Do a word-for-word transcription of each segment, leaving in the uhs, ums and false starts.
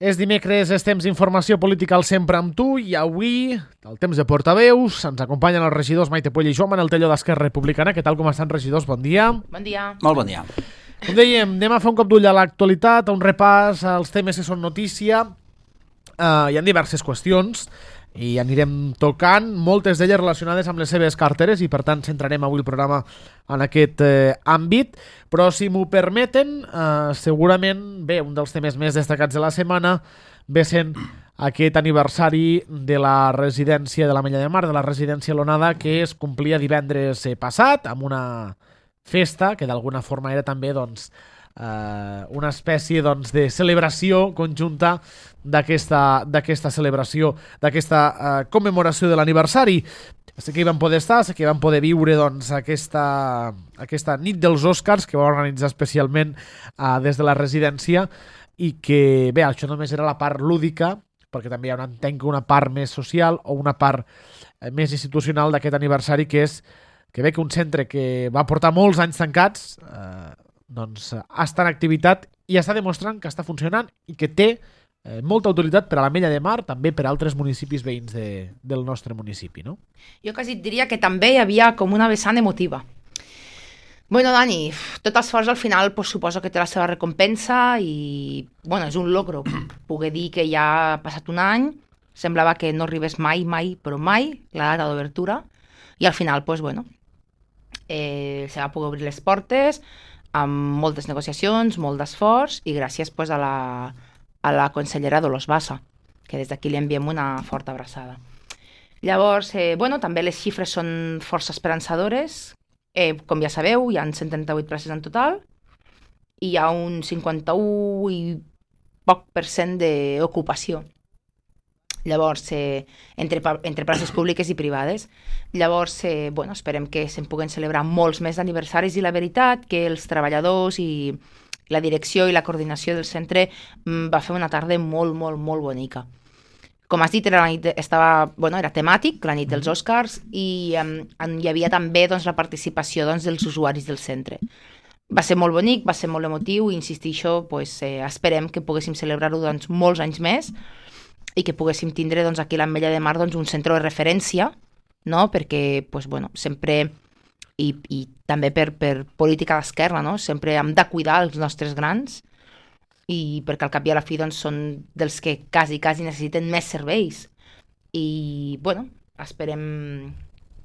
És dimecres, és temps d'informació política al Sempre amb tu i avui, el temps de portaveus, ens acompanyen els regidors Maite Puella i Joan Manel Telló d'Esquerra Republicana. Què tal, com estan, regidors? Bon dia. Bon dia. Molt bon dia. Com dèiem, anem a fer un cop d'ull a l'actualitat, a un repàs als temes que són notícia. Uh, hi ha diverses qüestions i anirem tocant, moltes d'elles relacionades amb les seves carteres i per tant centrarem avui el programa en aquest eh, àmbit, però si m'ho permeten, eh, segurament, bé, un dels temes més destacats de la setmana ve sent aquest aniversari de la residència de l'Ametlla de Mar, de la residència L'Onada, que es complia divendres eh, passat, amb una festa que d'alguna forma era també doncs, eh, una espècie doncs, de celebració conjunta d'aquesta d'aquesta celebració, d'aquesta eh, commemoració de l'aniversari. Sé que hi van poder estar, sé que van poder viure doncs, aquesta, aquesta nit dels Oscars que va organitzar especialment eh, des de la residència i que, bé, això només era la part lúdica, perquè també hi ha una, entenc, una part més social o una part eh, més institucional d'aquest aniversari, que és que bé que un centre que va portar molts anys tancats eh, doncs està en activitat i està demostrant que està funcionant i que té eh, molta utilitat per a l'Ametlla de Mar, també per a altres municipis veïns de, del nostre municipi, no? Jo quasi et diria que també hi havia com una vessant emotiva. Bueno, Dani, tot esforç al final pues, suposo que té la seva recompensa i bueno, és un logro poder dir que ja ha passat un any, semblava que no arribés mai, mai, però mai la data d'obertura i al final, pues, bueno, eh, se va poder obrir les portes amb moltes negociacions, molt d'esforç i gràcies pues, a, la, a la consellera Dolors Bassa, que des d'aquí li enviem una forta abraçada. Llavors, eh, bueno, també les xifres són força esperançadores. Eh, com ja sabeu, hi ha cent trenta-vuit places en total i hi ha un cinquanta-u i poc per cent d'ocupació. Llavors, eh, entre, entre places públiques i privades. Llavors, eh, bueno, esperem que se'n puguen celebrar molts més aniversaris i la veritat que els treballadors i la direcció i la coordinació del centre mm, va fer una tarda molt, molt, molt bonica. Com has dit, era, la nit, estava, bueno, era temàtic, la nit dels Oscars, i um, hi havia també doncs, la participació doncs, dels usuaris del centre. Va ser molt bonic, va ser molt emotiu i insistisco, pues, eh, esperem que poguéssim celebrar-ho doncs, molts anys més i que poguéssim tindre doncs, aquí a l'Ametlla de Mar doncs, un centre de referència, no? Perquè pues, bueno, sempre, i, i també per, per política d'esquerra, no? Sempre hem de cuidar els nostres grans i perquè al cap i a la fi doncs, són dels que quasi, quasi necessiten més serveis. I bueno, esperem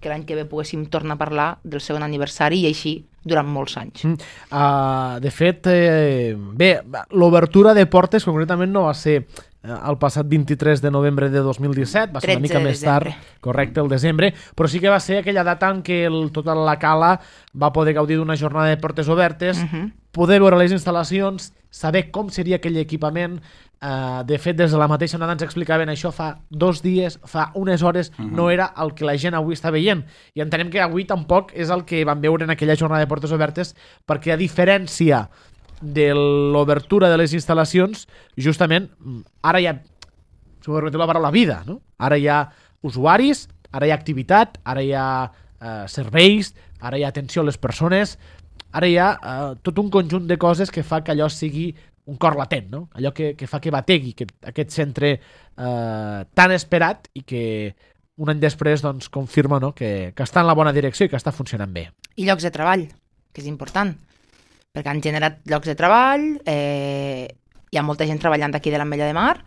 que l'any que ve poguéssim tornar a parlar del segon aniversari i així durant molts anys. Mm. Uh, de fet, eh, bé, l'obertura de portes concretament no va ser el passat vint-i-tres de novembre de dos mil disset, va ser una mica més tard, correcte, el desembre, però sí que va ser aquella data en què el, tota la cala va poder gaudir d'una jornada de portes obertes, uh -huh. poder veure les instal·lacions, saber com seria aquell equipament. Uh, de fet, des de la mateixa onada ens explicaven això fa dos dies, fa unes hores, uh -huh. no era el que la gent avui està veient. I entenem que avui tampoc és el que vam veure en aquella jornada de portes obertes, perquè a diferència de l'obertura de les instal·lacions, justament, ara hi ha, si m'ho permeteu la paraula, vida, no? Ara hi ha usuaris, ara hi ha activitat, ara hi ha eh, serveis, ara hi ha atenció a les persones, ara hi ha eh, tot un conjunt de coses que fa que allò sigui un cor latent, no? Allò que, que fa que bategui que aquest centre eh, tan esperat i que un any després doncs, confirma no? que, que està en la bona direcció i que està funcionant bé. I llocs de treball, que és important, perquè han generat llocs de treball, eh, hi ha molta gent treballant aquí de l'Ametlla de Mar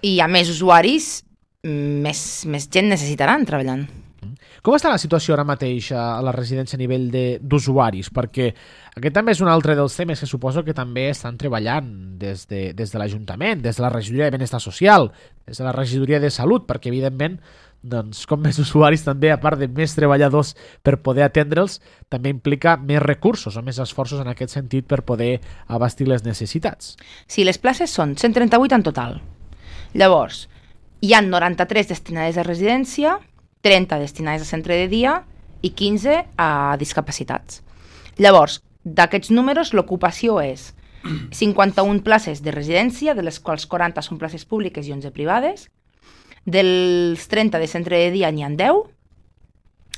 i hi ha més usuaris, més, més gent necessitaran treballant. Com està la situació ara mateix a la residència a nivell d'usuaris? Perquè aquest també és un altre dels temes que suposo que també estan treballant des de, des de l'Ajuntament, des de la regidoria de Benestar Social, des de la regidoria de Salut, perquè evidentment doncs, com més usuaris també, a part de més treballadors per poder atendre'ls, també implica més recursos o més esforços en aquest sentit per poder abastir les necessitats. Sí, les places són cent trenta-vuit en total. Llavors, hi ha noranta-tres destinades a residència, trenta destinades a centre de dia i quinze a discapacitats. Llavors, d'aquests números, l'ocupació és cinquanta-una places de residència, de les quals quaranta són places públiques i onze privades. Dels trenta de centre de dia n'hi ha deu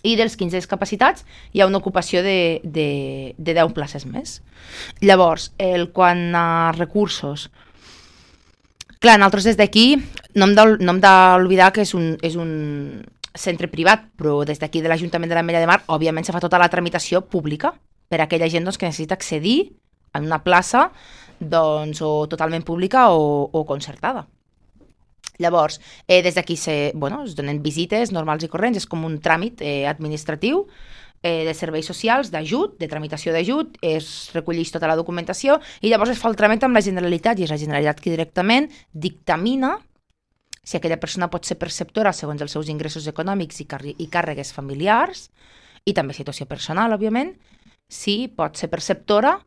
i dels quinze discapacitats hi ha una ocupació de, de, de deu places més. Llavors, el, quan a recursos, Clar, nosaltres des d'aquí no hem d'ol- no hem d'oblidar que és un, és un centre privat, però des d'aquí de l'Ajuntament de l'Ametlla de Mar, òbviament se fa tota la tramitació pública per a aquella gent doncs, que necessita accedir a una plaça doncs, o totalment pública o, o concertada. Llavors, eh, des d'aquí se, bueno, es donen visites normals i corrents, és com un tràmit eh, administratiu eh, de serveis socials, d'ajut, de tramitació d'ajut, es recolleix tota la documentació i llavors es fa el tràmit amb la Generalitat i és la Generalitat que directament dictamina si aquella persona pot ser perceptora segons els seus ingressos econòmics i, car- i càrregues familiars i també situació personal, òbviament, si pot ser perceptora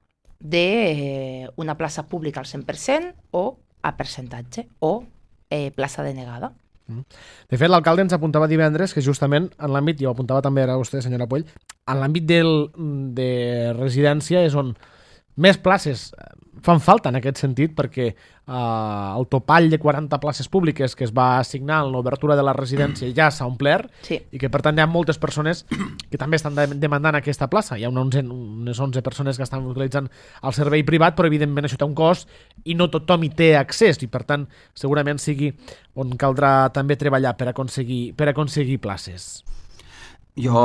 d'una plaça pública al cent per cent o a percentatge o eh, plaça denegada. De fet, l'alcalde ens apuntava divendres que justament en l'àmbit, i ho apuntava també ara vostè, senyora Poll, en l'àmbit del, de residència és on més places fan falta en aquest sentit, perquè eh, el topall de quaranta places públiques que es va assignar en l'obertura de la residència ja s'ha omplert, Sí. i que per tant hi ha moltes persones que també estan de- demandant aquesta plaça. Hi ha una onze, unes onze persones que estan utilitzant el servei privat, però evidentment això té un cost i no tothom hi té accés, i per tant segurament sigui on caldrà també treballar per aconseguir, per aconseguir places. Jo,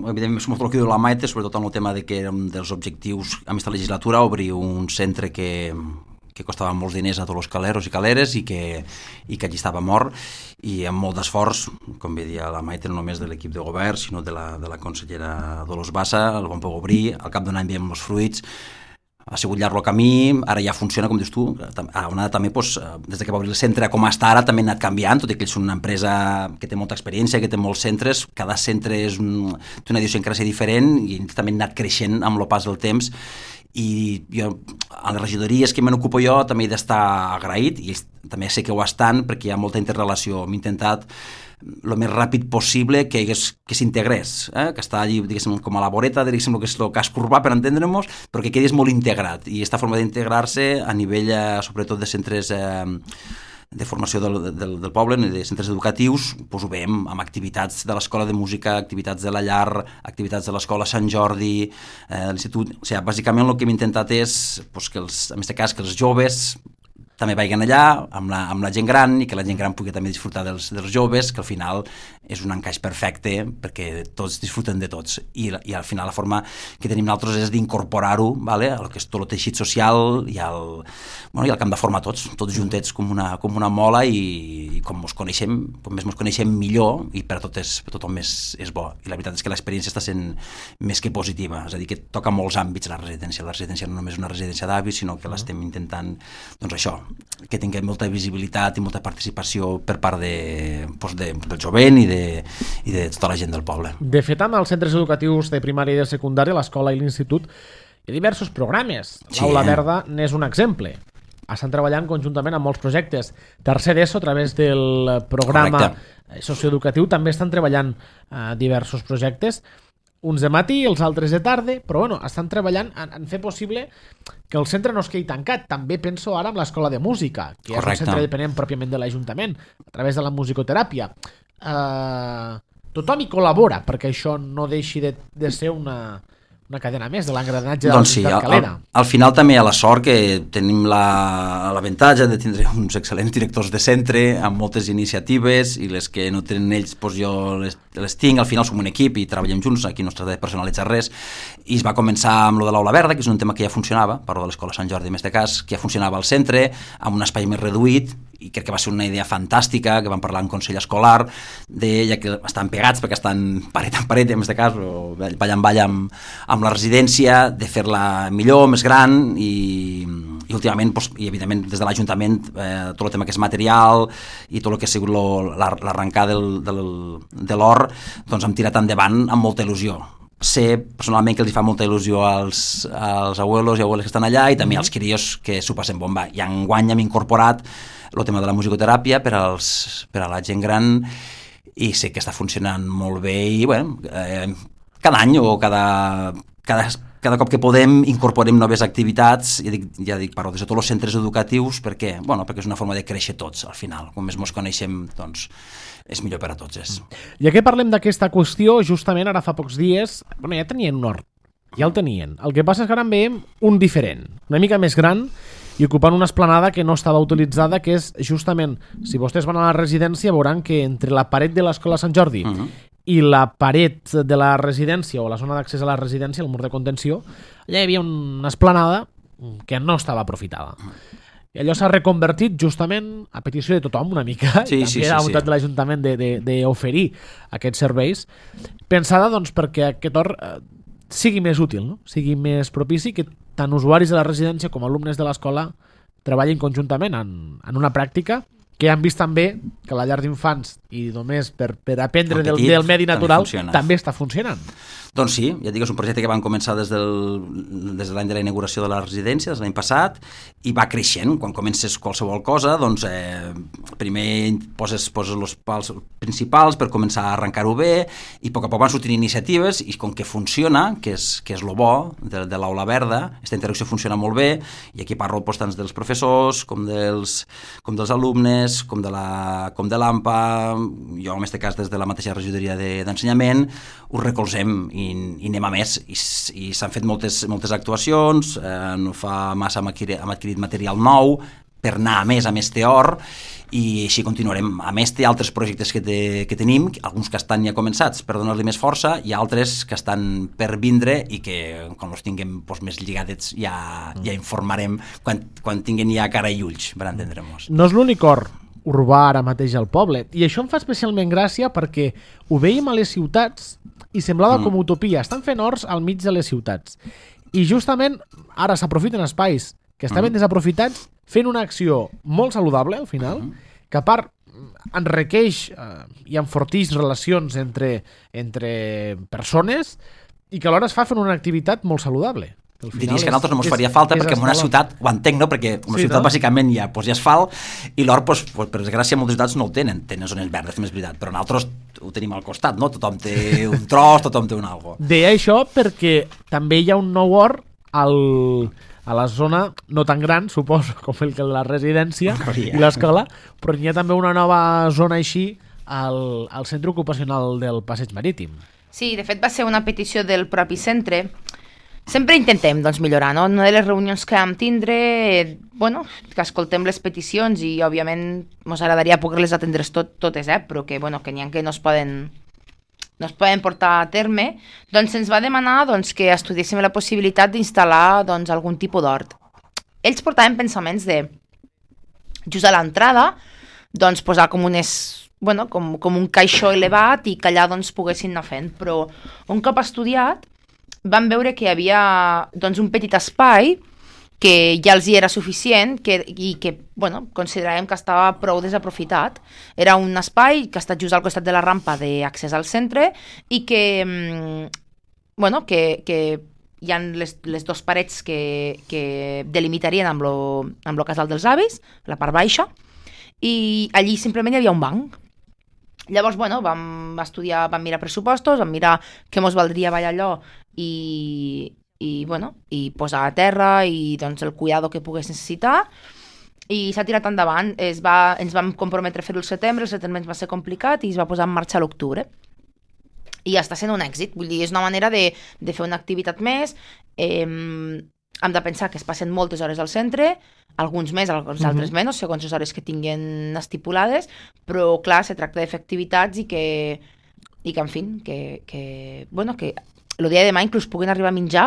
evidentment, som el que diu la Maite, sobretot en el tema de que érem dels objectius a aquesta legislatura, obrir un centre que, que costava molts diners a tots els caleros i caleres i que, i que allí estava mort, i amb molt d'esforç, com bé dia la Maite, no només de l'equip de govern, sinó de la, de la consellera Dolors Bassa, el vam poder obrir, al cap d'un any veiem els fruits, ha sigut llarg el camí, ara ja funciona, com dius tu, a una també, doncs, des que va obrir el centre com està ara, també ha anat canviant, tot i que ells són una empresa que té molta experiència, que té molts centres, cada centre és un, té una idiosincràsia diferent i també ha anat creixent amb el pas del temps, i jo, a les regidories que me n'ocupo jo també he d'estar agraït, i ells també sé que ho estan perquè hi ha molta interrelació. Hem intentat el més ràpid possible que, hagués, que s'integrés, eh? Que està allí, diguéssim, com a la voreta, diguéssim, el que és el casc urbà, per entendre-nos, però que quedés molt integrat, i aquesta forma d'integrar-se a nivell, eh, sobretot, de centres eh, de formació del, del, del poble, de centres educatius, doncs ho veiem amb activitats de l'escola de música, activitats de la llar, activitats de l'escola Sant Jordi, eh, l'institut. O sigui, bàsicament el que hem intentat és, doncs, que els, en aquest cas, que els joves també vagin allà amb la, amb la gent gran, i que la gent gran pugui també disfrutar dels, dels joves, que al final és un encaix perfecte perquè tots disfruten de tots, i, i al final la forma que tenim nosaltres és d'incorporar-ho, vale, al que és tot el teixit social i al, bueno, i al camp de forma tots, tots juntets com una, com una mola, i, i com ens coneixem, com més ens coneixem millor, i per, tot és, per tothom és, és bo, i la veritat és que l'experiència està sent més que positiva, és a dir, que toca molts àmbits la residència, la residència no només és una residència d'avis, sinó que l'estem intentant, doncs això, que tinguem molta visibilitat i molta participació per part de, doncs de, del jovent i de, i de tota la gent del poble. De fet, amb els centres educatius de primària i de secundària, l'escola i l'institut, hi ha diversos programes. Sí, L'Aula eh? Verda n'és un exemple. Estan treballant conjuntament amb molts projectes. Tercer d'ESO, a través del programa Correcte. socioeducatiu, també estan treballant eh, diversos projectes, uns de matí, els altres de tarda, però bueno, estan treballant en, en fer possible que el centre no es quedi tancat. També penso ara en l'escola de música, que Correcte. és un centre dependent pròpiament de l'Ajuntament, a través de la musicoteràpia. Uh, tothom hi col·labora perquè això no deixi de, de ser una, una cadena més de l'engranatge de Doncs la sí, ciutat al, calera. al, al final també hi ha la sort que tenim la- l'avantatge de tindre uns excel·lents directors de centre amb moltes iniciatives, i les que no tenen ells, doncs jo les, les tinc. Al final som un equip i treballem junts, aquí no es tracta de personalitzar res, i es va començar amb lo de l'Aula Verda, que és un tema que ja funcionava, parlo de l'Escola Sant Jordi en este cas, que ja funcionava al centre, amb un espai més reduït, i crec que va ser una idea fantàstica, que vam parlar en Consell Escolar, de, ja que estan pegats, perquè estan paret en paret, en aquest cas, o ball en ball amb, amb la residència, de fer-la millor, més gran, i, i últimament, doncs, i evidentment des de l'Ajuntament, eh, tot el tema que és material i tot el que ha sigut lo, la, l'arrencar del, del, de l'or, doncs hem tirat endavant amb molta il·lusió. Sé personalment que els fa molta il·lusió als, als abuelos i abueles que estan allà, i també als crios que s'ho passen bomba. I enguany hem incorporat el tema de la musicoteràpia per, als, per a la gent gran, i sé que està funcionant molt bé, i bueno, eh, cada any o cada, cada, cada cop que podem incorporem noves activitats, ja dic, ja dic parlo des de tots els centres educatius, perquè, bueno, perquè és una forma de créixer tots al final, com més ens coneixem, doncs és millor per a tots. És. Ja que parlem d'aquesta qüestió, justament ara fa pocs dies, bueno, ja tenien un hort, ja el tenien. El que passa és que ara en veiem un diferent, una mica més gran, i ocupant una esplanada que no estava utilitzada, que és justament, si vostès van a la residència veuran que entre la paret de l'escola Sant Jordi uh -huh. i la paret de la residència o la zona d'accés a la residència, el mur de contenció, allà hi havia una esplanada que no estava aprofitada. I allò s'ha reconvertit justament a petició de tothom una mica, sí, i també sí, a la sí, voluntat sí. de l'Ajuntament d'oferir aquests serveis, pensada doncs, perquè aquest hort eh, sigui més útil, no? Sigui més propici, que tant usuaris de la residència com alumnes de l'escola treballin conjuntament en, en una pràctica que han vist també que la llar d'infants i només per, per aprendre del, del medi natural també, també està funcionant. Doncs sí, ja et dic, és un projecte que van començar des, del, des de l'any de la inauguració de la residència, des de l'any passat, i va creixent. Quan comences qualsevol cosa, doncs eh, primer poses, poses els pals principals per començar a arrencar-ho bé, i a poc a poc van sortint iniciatives, i com que funciona, que és, que és lo bo de, de l'aula verda, aquesta interacció funciona molt bé, i aquí parlo doncs, tant dels professors com dels, com dels alumnes, com de la, com de l'A M P A, jo en aquest cas des de la mateixa regidoria d'ensenyament, de, us recolzem i, i anem a més, i, i s'han fet moltes, moltes actuacions, eh, no fa massa hem adquirit, hem adquirit material nou per anar a més a més teor, i així continuarem. A més té altres projectes que, te, que tenim, alguns que estan ja començats per donar-li més força, i altres que estan per vindre i que quan els tinguem doncs, més lligadets ja, ja informarem quan, quan tinguin ja cara i ulls per entendre-nos. No és l'únic hort urbà ara mateix al poble, i això em fa especialment gràcia perquè ho veiem a les ciutats i semblava mm. com utopia. Estan fent horts al mig de les ciutats i justament ara s'aprofiten espais que estaven mm. desaprofitats fent una acció molt saludable al final, mm. que a part enriqueix eh, i enfortix relacions entre, entre persones i que alhora es fa fent una activitat molt saludable. Diries que a nosaltres no ens faria falta perquè en una ciutat, ho entenc, no? Perquè en una sí, ciutat no? bàsicament hi ha, doncs, hi ha asfalt i l'hort, doncs, per desgràcia, moltes ciutats no el tenen, tenen zones verdes, és veritat, però nosaltres ho tenim al costat, no? Tothom té un tros, tothom té un algo. Deia això perquè també hi ha un nou hort al, a la zona, no tan gran, suposo, com el que la residència oh, yeah. i l'escola, però hi ha també una nova zona així al, al centre ocupacional del Passeig Marítim. Sí, de fet va ser una petició del propi centre. Sempre intentem doncs, millorar, no? Una de les reunions que vam tindre, eh, bueno, que escoltem les peticions i, òbviament, ens agradaria poder-les atendre tot, totes, eh? Però que, bueno, que n'hi ha que no es poden, no es poden portar a terme, doncs se'ns va demanar doncs, que estudiéssim la possibilitat d'instal·lar doncs, algun tipus d'hort. Ells portaven pensaments de, just a l'entrada, doncs, posar com unes... Bueno, com, com un caixó elevat i que allà doncs, poguessin anar fent, però un cop estudiat van veure que hi havia doncs, un petit espai que ja els hi era suficient que, i que bueno, consideràvem que estava prou desaprofitat. Era un espai que està just al costat de la rampa d'accés al centre i que, bueno, que, que hi ha les, les dues parets que, que delimitarien amb lo, amb lo casal dels avis, la part baixa, i allí simplement hi havia un banc. Llavors, bueno, vam estudiar, vam mirar pressupostos, vam mirar què mos valdria ballar allò i, i, bueno, i posar a terra i doncs, el cuidado que pogués necessitar, i s'ha tirat endavant. Es va, ens vam comprometre a fer-ho al setembre, el setembre ens va ser complicat i es va posar en marxa a l'octubre. I està sent un èxit, vull dir, és una manera de, de fer una activitat més. Eh, hem de pensar que es passen moltes hores al centre, alguns més, alguns altres menys, segons les hores que tinguin estipulades, però clar, se tracta de fer activitats i que, i que en fi, que, que, bueno, que el dia de demà inclús puguin arribar a menjar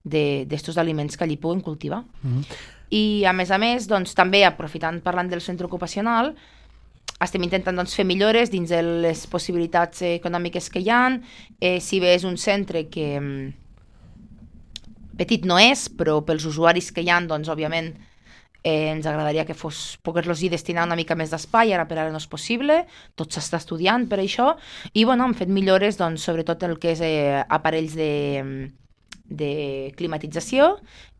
d'estos aliments que allí puguen cultivar. Mm-hmm. I a més a més, doncs, també aprofitant, parlant del centre ocupacional, estem intentant doncs, fer millores dins de les possibilitats econòmiques que hi ha. Eh, si bé és un centre que petit no és, però pels usuaris que hi ha, doncs, òbviament, eh, ens agradaria que fos poder-los hi destinar una mica més d'espai, ara per ara no és possible, tot s'està estudiant per això, i bueno, hem fet millores, doncs, sobretot el que és eh, aparells de, de climatització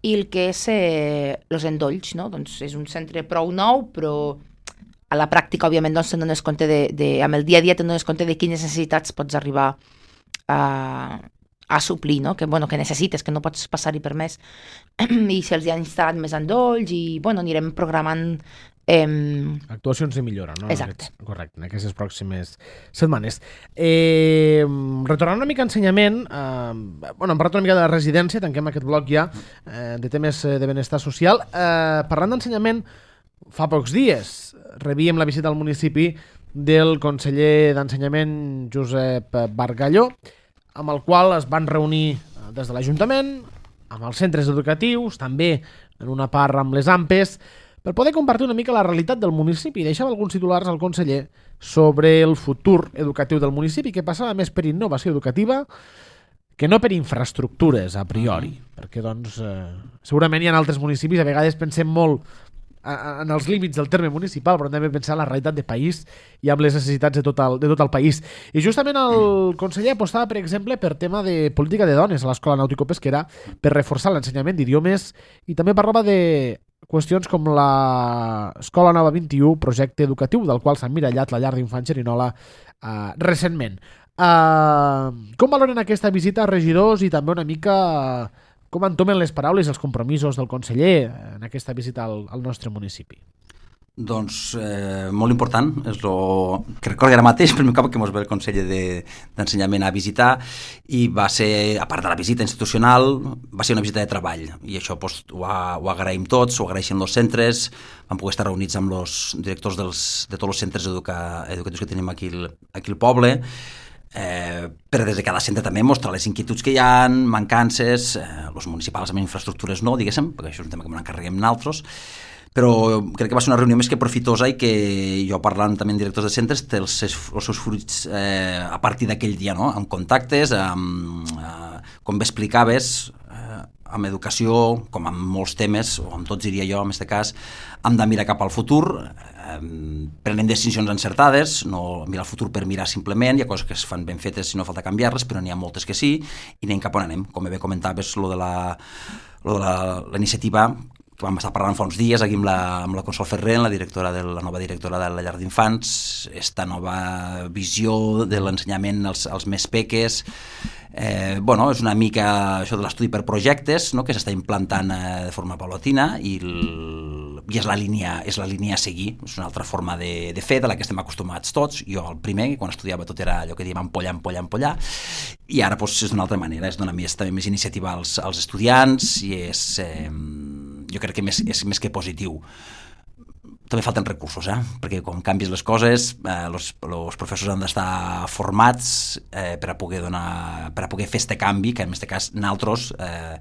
i el que és eh, els endolls, no? Doncs és un centre prou nou, però a la pràctica, òbviament, doncs, te'n dones compte de, de, amb el dia a dia te'n dones compte de quines necessitats pots arribar a, a suplir, no? Que, bueno, que necessites, que no pots passar-hi per més. I si els hi han instal·lat més endolls i, bueno, anirem programant Eh, Actuacions de millora, no? Exacte. Aquests, correcte, en aquestes pròximes setmanes. Eh, retornant una mica a ensenyament, eh, bueno, hem parlat una mica de la residència, tanquem aquest bloc ja, eh, de temes de benestar social. Eh, parlant d'ensenyament, fa pocs dies rebíem la visita al municipi del conseller d'Ensenyament, Josep Bargalló, amb el qual es van reunir des de l'Ajuntament, amb els centres educatius, també en una part amb les A M P Es, per poder compartir una mica la realitat del municipi. Deixava alguns titulars al conseller sobre el futur educatiu del municipi, que passava més per innovació educativa que no per infraestructures, a priori. Perquè, doncs, eh, segurament hi ha altres municipis, a vegades pensem molt en els límits del terme municipal, però també pensar en la realitat de país i amb les necessitats de tot el, de tot el país. I justament el conseller apostava, per exemple, per tema de política de dones a l'Escola Nàutico-Pesquera, per reforçar l'ensenyament d'idiomes, i també parlava de qüestions com l'Escola Nova vint i u, projecte educatiu, del qual s'ha emmirallat la llar d'infants Xerinola eh, recentment. Eh, com valoren aquesta visita, regidors, i també una mica com entomen les paraules i els compromisos del conseller en aquesta visita al, al nostre municipi? Doncs eh, molt important, és el que recordo ara mateix, per mi cap que mos ve el conseller d'Ensenyament de, a visitar, i va ser, a part de la visita institucional, va ser una visita de treball, i això pues, ho, ha, ho agraïm tots, ho agraeixen els centres, vam poder estar reunits amb els directors dels, de tots els centres educa, educatius que tenim aquí, aquí al poble, Eh, però des de cada centre també mostra les inquietuds que hi ha, mancances, eh, els municipals amb infraestructures no, diguéssim, perquè això és un tema que ens encarreguem nosaltres, però crec que va ser una reunió més que profitosa i que jo parlant també amb directors de centres té els, els seus fruits eh, a partir d'aquell dia, no? Amb contactes, amb, eh, com bé explicaves, eh, amb educació, com amb molts temes, o amb tots diria jo, en aquest cas, hem de mirar cap al futur, eh, prenen decisions encertades, no mirar el futur per mirar simplement, hi ha coses que es fan ben fetes i no falta canviar-les, però n'hi ha moltes que sí, i anem cap on anem. Com bé comentaves, lo de la, lo de la, la iniciativa, que vam estar parlant fa uns dies aquí amb la, amb la Consol Ferrer, la, directora de, la nova directora de la llar d'infants, esta nova visió de l'ensenyament als, als més peques. Eh, bueno, és una mica això de l'estudi per projectes, no?, que s'està implantant eh, de forma paulatina i, el, i és, la línia, és la línia a seguir, és una altra forma de, de fer de la que estem acostumats tots. Jo el primer, quan estudiava tot era allò que diem ampollar, ampollar, ampollar, i ara doncs, és d'una altra manera, és donar més, també més iniciativa als, als estudiants i és, eh, jo crec que més, és més que positiu. També falten recursos, eh? Perquè quan canvis les coses, eh, los, los professors han d'estar formats eh, per a poder donar, per a poder fer este canvi, que en aquest cas nosaltres, eh,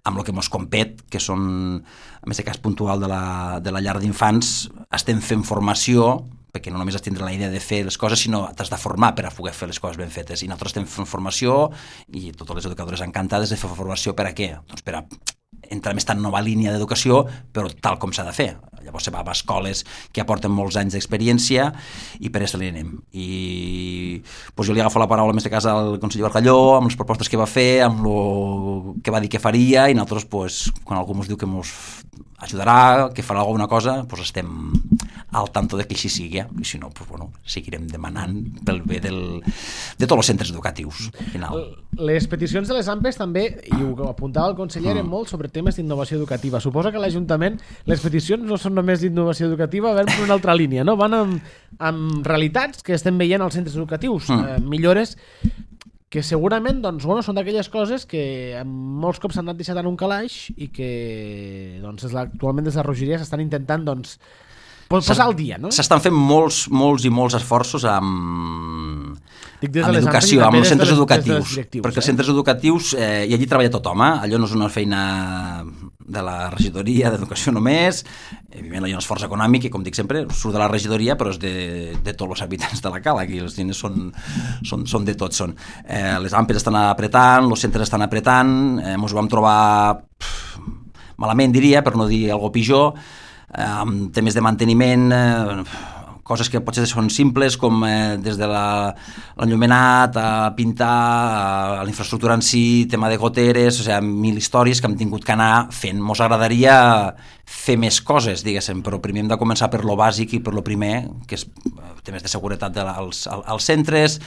amb el que mos compet, que són, en aquest cas puntual de la, de la llar d'infants, estem fent formació, perquè no només has tindre la idea de fer les coses, sinó t'has de formar per a poder fer les coses ben fetes. I nosaltres estem fent formació, i totes les educadores encantades de fer formació per a què? Doncs per a entrar en aquesta nova línia d'educació, però tal com s'ha de fer. Llavors se va a escoles que aporten molts anys d'experiència i per això li anem. I doncs jo li agafo la paraula en aquest cas al conseller Bargalló, amb les propostes que va fer, amb el que va dir que faria, i nosaltres, doncs, quan algú ens diu que ens ajudarà, que farà alguna cosa, doncs estem al tanto de que així sigui, eh? I si no, doncs, bueno, seguirem demanant pel bé del, de tots els centres educatius. Al final. Les peticions de les A M P Es també, i ho apuntava el conseller, eren molt sobre temes d'innovació educativa. Suposa que a l'Ajuntament les peticions no són només d'innovació educativa, van per una altra línia, no? Van amb, amb realitats que estem veient als centres educatius, mm. eh, millores que segurament doncs, bueno, són d'aquelles coses que molts cops s'han anat deixat en un calaix i que doncs, actualment des de la Rogeria s'estan intentant doncs, posar al dia, no? S'estan fent molts, molts i molts esforços amb, amb educació, amb els centres educatius, perquè eh? Els centres educatius, eh, i allí treballa tothom, eh? Allò no és una feina de la regidoria d'educació només, evidentment hi ha un esforç econòmic i, com dic sempre, surt de la regidoria, però és de, de tots els habitants de la cala, aquí els diners són, són, són de tots. Són. Eh, les A M P Es estan apretant, els centres estan apretant, eh, ens ho vam trobar pff, malament, diria, per no dir alguna pitjor, amb temes de manteniment, eh, coses que potser són simples, com eh, des de l'enllumenat a pintar, a, a la infraestructura en si, tema de goteres, o sigui, mil històries que hem tingut que anar fent. Mos agradaria fer més coses, diguéssim, però primer hem de començar per lo bàsic i per lo primer, que és temes de seguretat de la, als, als centres,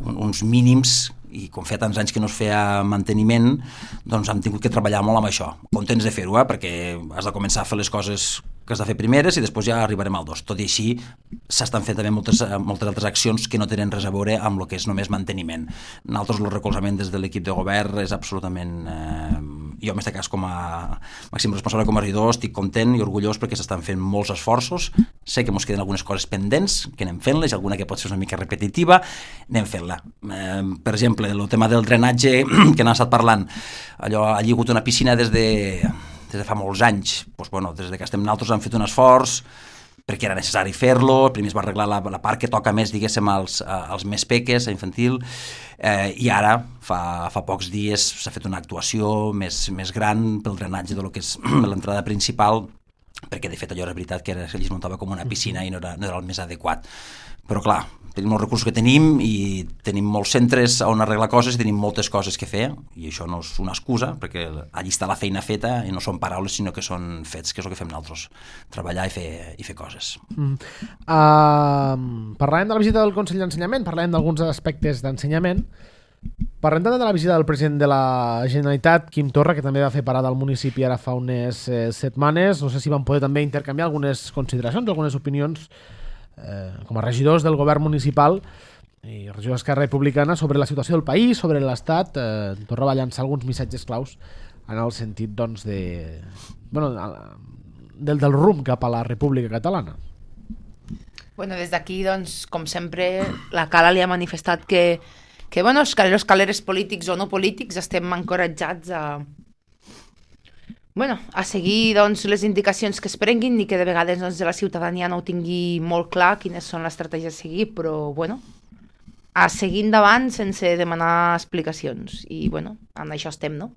un, uns mínims, i com feia tants anys que no es feia manteniment, doncs hem tingut que treballar molt amb això. Contents de fer-ho, eh? Perquè has de començar a fer les coses que has de fer primeres i després ja arribarem al dos. Tot i així, s'estan fent també moltes, moltes altres accions que no tenen res a veure amb el que és només manteniment. Nosaltres el recolzament des de l'equip de govern és absolutament... Eh, jo, en aquest cas, com a màxim responsable com a regidor, estic content i orgullós perquè s'estan fent molts esforços. Sé que ens queden algunes coses pendents, que anem fent-les, alguna que pot ser una mica repetitiva, anem fent-la. Eh, per exemple, el tema del drenatge que n'ha estat parlant, allò, allí ha hagut una piscina des de... des de fa molts anys, doncs, bueno, des que estem nosaltres hem fet un esforç perquè era necessari fer-lo, primer es va arreglar la, la part que toca més, diguéssim, als, als més peques, a infantil, eh, i ara, fa, fa pocs dies, s'ha fet una actuació més, més gran pel drenatge de lo que és l'entrada principal, perquè de fet allò era veritat que era, allí es muntava com una piscina i no era, no era el més adequat. Però clar, tenim els recursos que tenim i tenim molts centres on arreglar coses i tenim moltes coses que fer, i això no és una excusa, perquè allí està la feina feta i no són paraules sinó que són fets, que és el que fem nosaltres, treballar i fer, i fer coses. Mm. Uh, parlàvem de la visita del Consell d'Ensenyament, parlàvem d'alguns aspectes d'ensenyament, parlem també de la visita del president de la Generalitat, Quim Torra, que també va fer parada al municipi ara fa unes eh, setmanes. No sé si van poder també intercanviar algunes consideracions, algunes opinions eh, com a regidors del govern municipal i regidors d'Esquerra Republicana sobre la situació del país, sobre l'Estat. Eh, Torra va llançar alguns missatges claus en el sentit, doncs, de, bueno, del, del rumb cap a la República Catalana. Bueno, des d'aquí, doncs, com sempre, la Cala li ha manifestat que que bueno, els caleros, caleres polítics o no polítics estem encoratjats a, bueno, a seguir doncs, les indicacions que es prenguin i que de vegades doncs, la ciutadania no ho tingui molt clar quines són les estratègies a seguir, però bueno, a seguir endavant sense demanar explicacions i bueno, en això estem, no?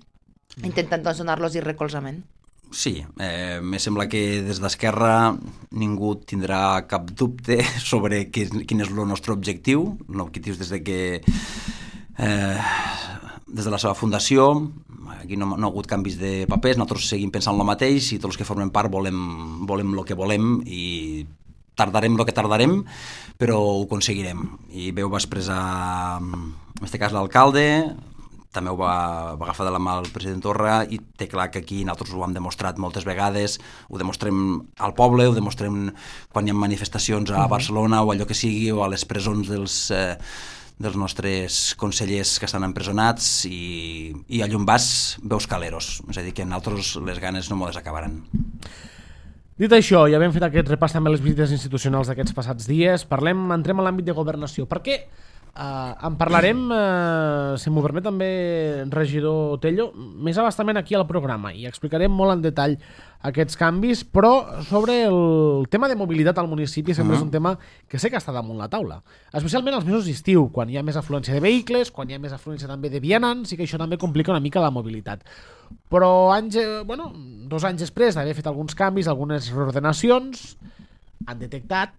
Intentant doncs, donar-los i recolzament. Sí, eh, me sembla que des d'Esquerra ningú tindrà cap dubte sobre que, quin és el nostre objectiu, l'objectiu des de que eh, des de la seva fundació aquí no, no ha hagut canvis de papers, nosaltres seguim pensant el mateix i tots els que formem part volem, volem el que volem i tardarem el que tardarem, però ho aconseguirem. I bé, ho va expressar en aquest cas l'alcalde, també ho va, va agafar de la mà el president Torra i té clar que aquí nosaltres ho hem demostrat moltes vegades, ho demostrem al poble, ho demostrem quan hi ha manifestacions a Barcelona o allò que sigui, o a les presons dels, eh, dels nostres consellers que estan empresonats i, i a Llombàs veus caleros, és a dir que nosaltres les ganes no m'ho desacabaran. Dit això, ja hem fet aquest repàs també a les visites institucionals d'aquests passats dies, parlem, entrem a l'àmbit de governació. Per què? Uh, en parlarem, uh, si m'ho permet també, regidor Tello, més abastament aquí al programa i explicarem molt en detall aquests canvis, però sobre el tema de mobilitat al municipi sempre uh-huh. és un tema que sé que està damunt la taula, especialment als mesos d'estiu, quan hi ha més afluència de vehicles, quan hi ha més afluència també de vianants i que això també complica una mica la mobilitat. Però anys, bueno, dos anys després d'haver fet alguns canvis, algunes reordenacions, han detectat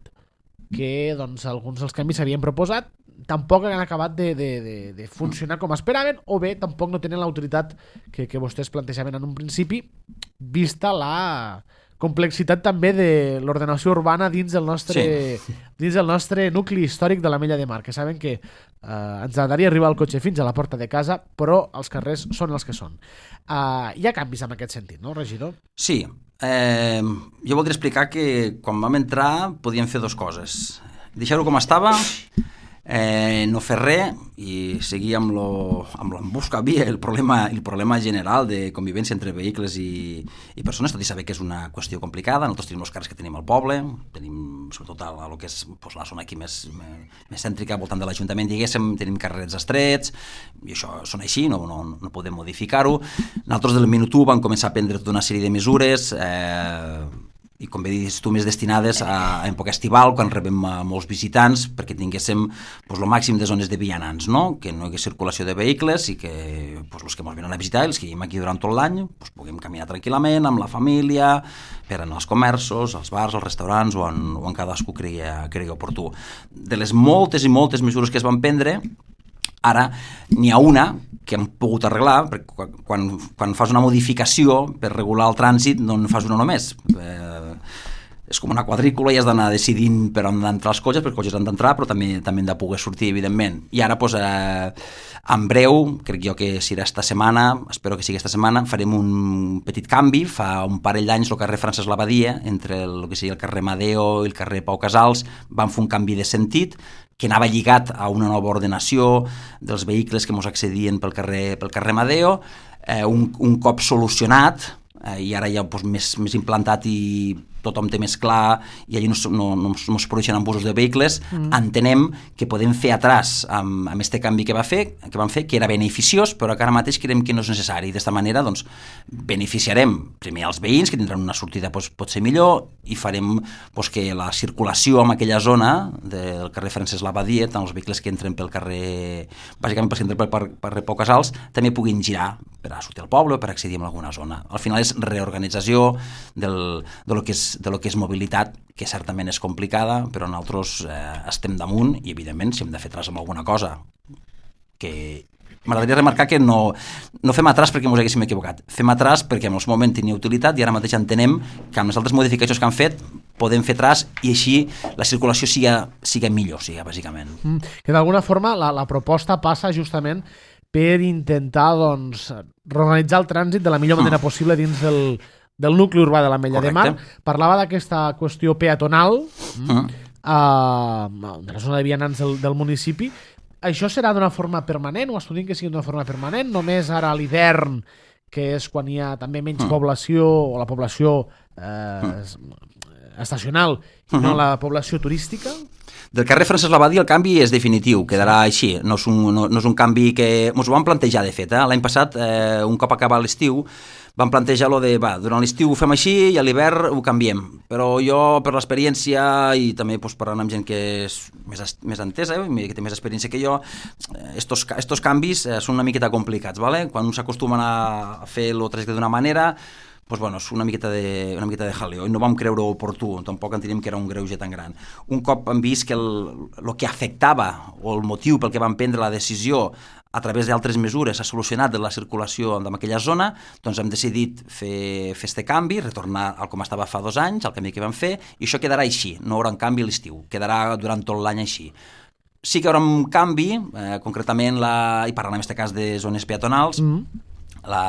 que doncs, alguns dels canvis s'havien proposat tampoc han acabat de, de, de, de funcionar com esperaven, o bé tampoc no tenen l'autoritat que, que vostès plantejaven en un principi, vista la complexitat també de l'ordenació urbana dins del nostre, sí. dins del nostre nucli històric de l'Ametlla de Mar, que saben que eh, ens agradaria arribar el cotxe fins a la porta de casa, però els carrers són els que són. Uh, hi ha canvis en aquest sentit, no, regidor? Sí. Eh, jo voldria explicar que quan vam entrar podíem fer dues coses. Deixar-ho com estava, eh, no fer res i seguir amb l'embús que havia, el problema, el problema general de convivència entre vehicles i, i persones, tot i saber que és una qüestió complicada. Nosaltres tenim els carrers que tenim al poble, tenim sobretot a, a lo que és pues, la zona aquí més, més cèntrica, voltant de l'Ajuntament, diguéssim, tenim carrers estrets, i això són així, no, no, no podem modificar-ho. Nosaltres del minut u vam començar a prendre tota una sèrie de mesures, eh, i com bé dius tu, més destinades a, a època estival, quan rebem a molts visitants, perquè tinguéssim pues, el màxim de zones de vianants, no? Que no hi hagués circulació de vehicles i que pues, els que ens venen a visitar, els que vivim aquí durant tot l'any, pues, puguem caminar tranquil·lament amb la família, per anar als comerços, als bars, als restaurants o en, o en cadascú cregui, cregui oportú. De les moltes i moltes mesures que es van prendre, ara n'hi ha una que hem pogut arreglar, perquè quan, quan fas una modificació per regular el trànsit no en fas una només. Eh, és com una quadrícula i has d'anar decidint per on han d'entrar els cotxes, perquè els cotxes han d'entrar, però també també han de poder sortir, evidentment. I ara, doncs, eh, en breu, crec jo que serà esta setmana, espero que sigui esta setmana, farem un petit canvi. Fa un parell d'anys el carrer Francesc Labadia, entre el, el que sigui el carrer Madeo i el carrer Pau Casals, van fer un canvi de sentit que anava lligat a una nova ordenació dels vehicles que ens accedien pel carrer, pel carrer Madeo, eh, un, un cop solucionat, eh, i ara ja doncs, més, més implantat i tothom té més clar i allà no, no, no, no es produeixen embussos de vehicles, mm. entenem que podem fer atràs amb, amb este canvi que, va fer, que vam fer, que era beneficiós, però que ara mateix creiem que no és necessari. D'esta manera, doncs, beneficiarem primer els veïns, que tindran una sortida doncs, pot ser millor, i farem doncs, que la circulació en aquella zona del carrer Francesc Labadia, tant els vehicles que entren pel carrer, bàsicament per entren pel carrer Pau Casals, també puguin girar per a sortir al poble o per accedir a alguna zona. Al final és reorganització del, de lo que és de lo que és mobilitat, que certament és complicada, però nosaltres eh, estem damunt i, evidentment, si hem de fer atràs amb alguna cosa, que m'agradaria remarcar que no, no fem atràs perquè ens haguéssim equivocat, fem atràs perquè en el moment tenia utilitat i ara mateix entenem que amb les altres modificacions que han fet podem fer atràs i així la circulació siga, siga millor, siga, bàsicament. Mm, que d'alguna forma la, la proposta passa justament per intentar doncs, reorganitzar el trànsit de la millor manera mm. possible dins del del nucli urbà de l'Ametlla de Mar. Parlava d'aquesta qüestió peatonal uh-huh. uh, de la zona de vianants del, del municipi. Això serà d'una forma permanent o estudiem que sigui d'una forma permanent? Només ara a l'hivern, que és quan hi ha també menys uh-huh. població o la població eh, uh-huh. estacional i uh-huh. no la població turística? Del carrer Francesc Labadia el canvi és definitiu, quedarà així. No és un, no, no és un canvi que... Ens ho vam plantejar, de fet. Eh? L'any passat, eh, un cop acabat l'estiu, vam plantejar-lo de, va, durant l'estiu ho fem així i a l'hivern ho canviem. Però jo, per l'experiència i també doncs, parlant amb gent que és més, més entesa, eh, que té més experiència que jo, estos, estos canvis eh, són una miqueta complicats, ¿vale? Quan un s'acostumen a fer el trajecte d'una manera, pues bueno, és una miqueta de, una miqueta de jaleo, i no vam creure oportú, tampoc entenem que era un greuge tan gran. Un cop hem vist que el, el que afectava, o el motiu pel que vam prendre la decisió, a través d'altres mesures s'ha solucionat de la circulació en aquella zona, doncs hem decidit fer, fer este canvi, retornar al com estava fa dos anys, al canvi que vam fer, i això quedarà així, no hi haurà un canvi a l'estiu, quedarà durant tot l'any així. Sí que hi haurà un canvi, eh, concretament, la, i parlant en aquest cas de zones peatonals, mm. la,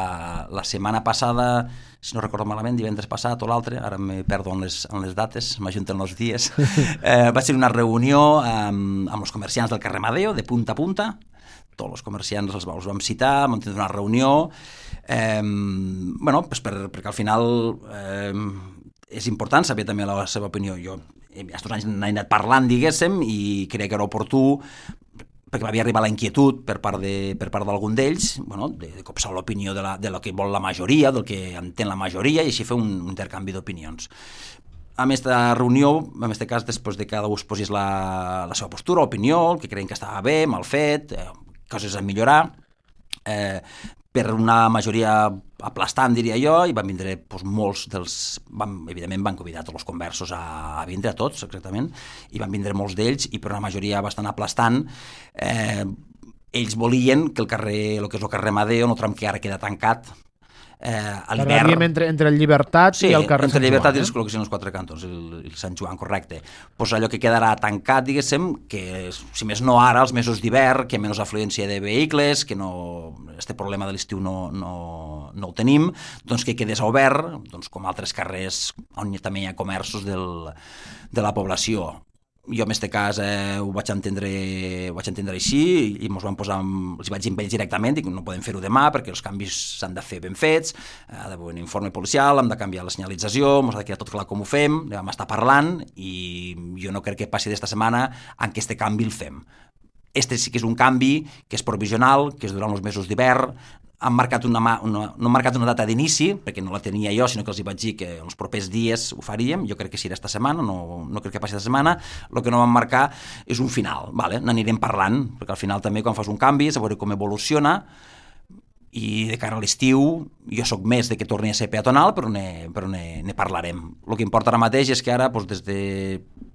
la setmana passada, si no recordo malament, divendres passat o l'altre, ara me perdo en les, en les dates, m'ajunten els dies, eh, va ser una reunió amb, amb els comerciants del carrer Madeo, de punta a punta, tots els comerciants els, els vam citar, vam tenir una reunió, eh, bueno, pues per, perquè al final eh, és important saber també la seva opinió. Jo aquests anys n'he anat parlant, diguéssim, i crec que era oportú, perquè m'havia arribat la inquietud per part de, per part d'algun d'ells, bueno, de, de copsar l'opinió de, la, de lo que vol la majoria, del que entén la majoria, i així fer un, un intercanvi d'opinions. A aquesta reunió, en aquest cas, després de que cada un posés la, la seva postura, opinió, el que creien que estava bé, mal fet, eh, coses a millorar, eh, per una majoria aplastant, diria jo, i van vindre doncs, molts dels... Van, evidentment van convidar tots els conversos a, a vindre, a tots, exactament, i van vindre molts d'ells, i per una majoria bastant aplastant, eh, ells volien que el carrer, el que és el carrer Madeo, no tram que ara queda tancat, eh, a l'hivern... Entre, entre el Llibertat sí, i el carrer entre Sant Llibertat Joan, i els col·locacions als quatre cantons, el, el Sant Joan, correcte. Pues allò que quedarà tancat, diguéssim, que si més no ara, els mesos d'hivern, que menys afluència de vehicles, que no... este problema de l'estiu no, no, no ho tenim, doncs que quedés obert, doncs com altres carrers on també hi ha comerços del, de la població. Jo en aquest cas eh, ho vaig entendre, ho vaig entendre així i ens vam posar, amb, els vaig dir amb ells directament, dic, no podem fer-ho demà perquè els canvis s'han de fer ben fets, ha d'haver un informe policial, hem de canviar la senyalització, ens ha de quedar tot clar com ho fem, ne vam estar parlant i jo no crec que passi d'esta setmana en què este canvi el fem. Este sí que és un canvi que és provisional, que és durant els mesos d'hivern, han marcat una, una, no han marcat una data d'inici, perquè no la tenia jo, sinó que els hi vaig dir que els propers dies ho faríem, jo crec que serà esta setmana, no, no crec que passi esta setmana, el que no vam marcar és un final, vale? N'anirem parlant, perquè al final també quan fas un canvi, a veure com evoluciona, i de cara a l'estiu jo sóc més de que torni a ser peatonal, però ne, però ne, ne parlarem. El que importa ara mateix és que ara, doncs, des de,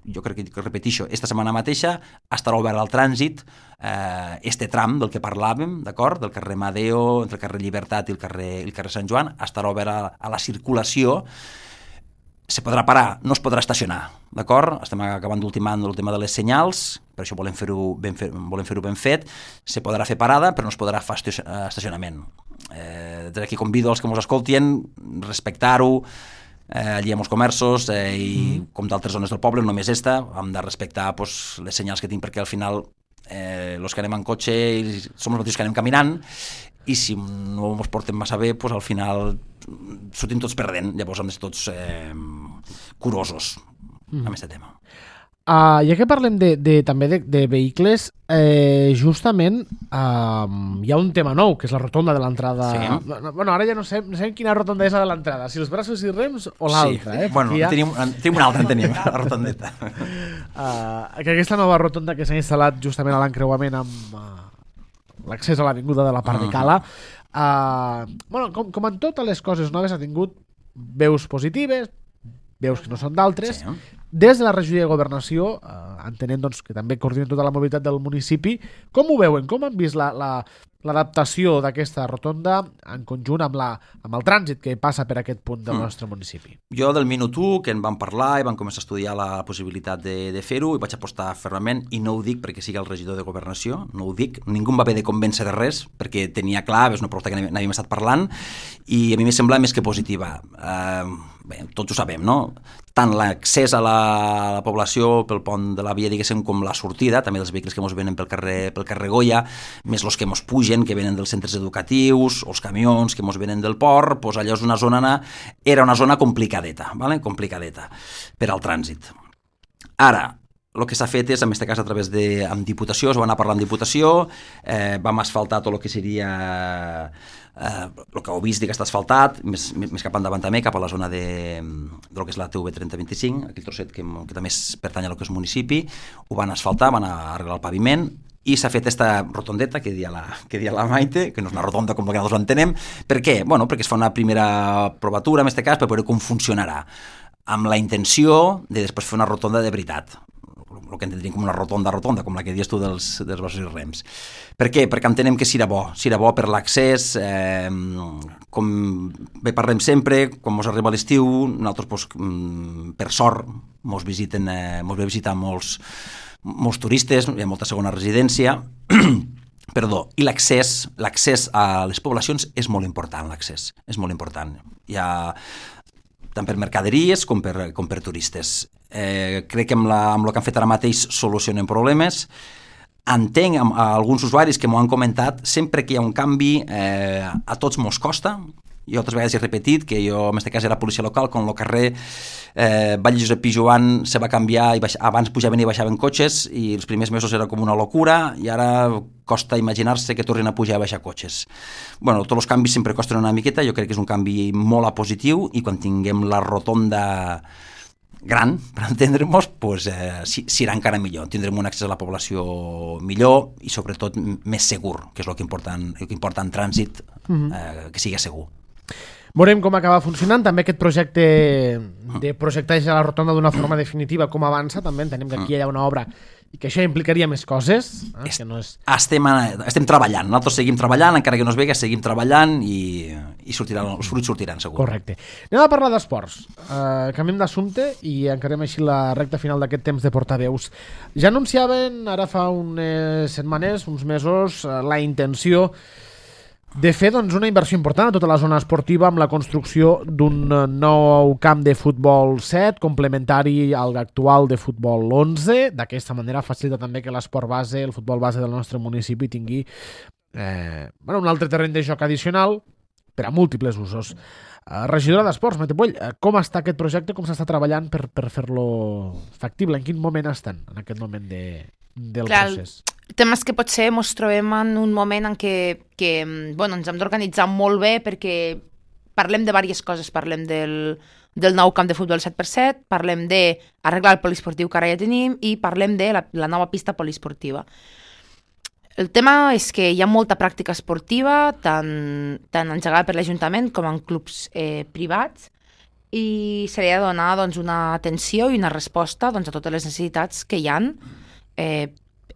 jo crec que repetixo, esta setmana mateixa estarà obert al trànsit eh, este tram del que parlàvem, d'acord? Del carrer Madeo, entre el carrer Llibertat i el carrer, el carrer Sant Joan, estarà obert a, a la circulació. se podrà parar, no es podrà estacionar, d'acord? Estem acabant d'ultimar el tema de les senyals, per això volem fer-ho ben, fer, volem fer-ho ben fet, se podrà fer parada, però no es podrà fer estacionament. Eh, des d'aquí convido els que ens escoltin, respectar-ho, eh, allí amb els comerços, eh, i mm. com d'altres zones del poble, només esta, hem de respectar pues, les senyals que tinc, perquè al final eh, els que anem en cotxe som els mateixos que anem caminant, i si no ens portem massa bé, pues, al final sortim tots perdent, llavors hem de ser tots eh, curosos mm. amb aquest tema. Uh, ja que parlem de, de, també de, de vehicles, eh, justament uh, hi ha un tema nou, que és la rotonda de l'entrada. Sí. Bueno, ara ja no sé, no sé quina rotonda és la de l'entrada, si els braços i rems o l'altra. Sí. Eh? Bueno, ha... tenim, tenim una altra, en tenim, la rotondeta. Uh, que aquesta nova rotonda que s'ha instal·lat justament a l'encreuament amb uh, l'accés a l'avinguda de la Part de Cala, uh, bueno, com, com en totes les coses noves ha tingut veus positives, veus que no són d'altres. Sí. Des de la regió de Governació, eh, entenent doncs, que també coordinen tota la mobilitat del municipi, com ho veuen? Com han vist la, la, l'adaptació d'aquesta rotonda en conjunt amb, la, amb el trànsit que passa per aquest punt del mm. nostre municipi? Jo del minut u, que en vam parlar i vam començar a estudiar la possibilitat de, de fer-ho, i vaig apostar fermament, i no ho dic perquè sigui el regidor de Governació, no ho dic, ningú em va haver de convèncer de res, perquè tenia clar, és una proposta que n'havíem estat parlant, i a mi m'ha semblat més que positiva. Uh, bé, tots ho sabem, no? Tant l'accés a la, a la població pel pont de la via, diguéssim, com la sortida, també dels vehicles que ens venen pel carrer, pel carrer Goya, més els que ens pugen, que venen dels centres educatius, o els camions que ens venen del port, doncs allò és una zona, era una zona complicadeta, ¿vale? complicadeta per al trànsit. Ara, el que s'ha fet és, en aquest cas a través de amb Diputació, es va anar parlant amb Diputació, eh, vam asfaltar tot el que seria eh, el que heu vist que està asfaltat, més, més cap endavant també, cap a la zona de, de lo que és la T V trenta vint-i-cinc, aquell trosset que, que també pertany a lo que és municipi, ho van asfaltar, van arreglar el paviment, i s'ha fet aquesta rotondeta que dia la, que dia la Maite, que no és una rotonda com que nosaltres l'entenem. Per què? Bueno, perquè es fa una primera provatura, en aquest cas, per veure com funcionarà, amb la intenció de després fer una rotonda de veritat, el que entendríem com una rotonda rotonda, com la que dius tu dels, dels braços i rems. Per què? Perquè entenem que serà bo, serà bo per l'accés, eh, com bé parlem sempre, quan ens arriba l'estiu, nosaltres, doncs, per sort, ens visiten, eh, ens ve visitar molts, molts turistes, hi ha molta segona residència, perdó, i l'accés, l'accés a les poblacions és molt important, l'accés, és molt important. Hi ha tant per mercaderies com per, com per turistes. Eh, crec que amb, la, amb el que han fet ara mateix solucionen problemes. Entenc amb, a alguns usuaris que m'ho han comentat, sempre que hi ha un canvi eh, a tots mos costa. Jo altres vegades he repetit que jo, en aquest cas, era policia local, quan el carrer eh, Vall Josep Pijoan se va canviar, i baix, abans pujaven i baixaven cotxes, i els primers mesos era com una locura, i ara costa imaginar-se que tornin a pujar i baixar cotxes. Bueno, tots els canvis sempre costen una miqueta, jo crec que és un canvi molt a positiu, i quan tinguem la rotonda gran, per entendre-nos, pues, eh, serà encara millor. Tindrem un accés a la població millor i sobretot més segur, que és el que importa en, el que importa en trànsit, mm-hmm. eh, que sigui segur. Veurem com acaba funcionant, també aquest projecte de projectar la rotonda d'una forma definitiva, com avança, també entenem que aquí hi ha una obra i que això implicaria més coses. Eh? Que no és... estem, estem treballant, nosaltres seguim treballant, encara que no es vegi, seguim treballant i, i sortiran, els fruits sortiran segur. Correcte. Anem a parlar d'esports. Uh, canviem d'assumpte i encarem així la recta final d'aquest temps de portaveus. Ja anunciaven ara fa unes setmanes, uns mesos, uh, la intenció de fer doncs, una inversió important a tota la zona esportiva amb la construcció d'un nou camp de futbol set, complementari al actual de futbol onze. D'aquesta manera facilita també que l'esport base, el futbol base del nostre municipi tingui eh, bueno, un altre terreny de joc addicional per a múltiples usos. Eh, regidora d'Esports, Maite Puell, eh, com està aquest projecte, com s'està treballant per, per fer-lo factible? En quin moment estan en aquest moment de, del Clar, procés? El tema és que potser ens trobem en un moment en què, que bueno, ens hem d'organitzar molt bé perquè parlem de diverses coses. Parlem del, del nou camp de futbol set per set, parlem d'arreglar el poliesportiu que ara ja tenim i parlem de la, la nova pista poliesportiva. El tema és que hi ha molta pràctica esportiva, tant, tant engegada per l'Ajuntament com en clubs eh, privats, i se li ha de donar doncs, una atenció i una resposta doncs, a totes les necessitats que hi ha, eh,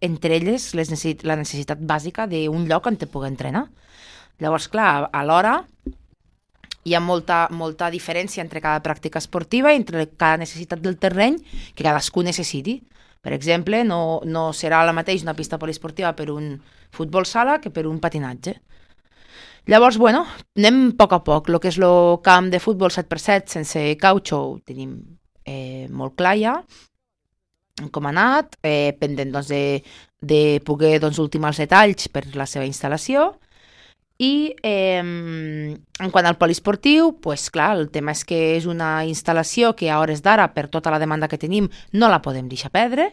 entre elles les necessit la necessitat bàsica d'un lloc on te pugui entrenar. Llavors, clar, alhora hi ha molta, molta diferència entre cada pràctica esportiva i entre cada necessitat del terreny que cadascú necessiti. Per exemple, no, no serà la mateix una pista poliesportiva per un futbol sala que per un patinatge. Llavors, bueno, anem a poc a poc. El que és el camp de futbol set per set sense cautxo ho tenim eh, molt clar ja, com ha anat, eh, pendent doncs, de, de poder doncs, ultimar els detalls per la seva instal·lació. I eh, en quant al poliesportiu, pues, clar, el tema és que és una instal·lació que a hores d'ara, per tota la demanda que tenim, no la podem deixar perdre.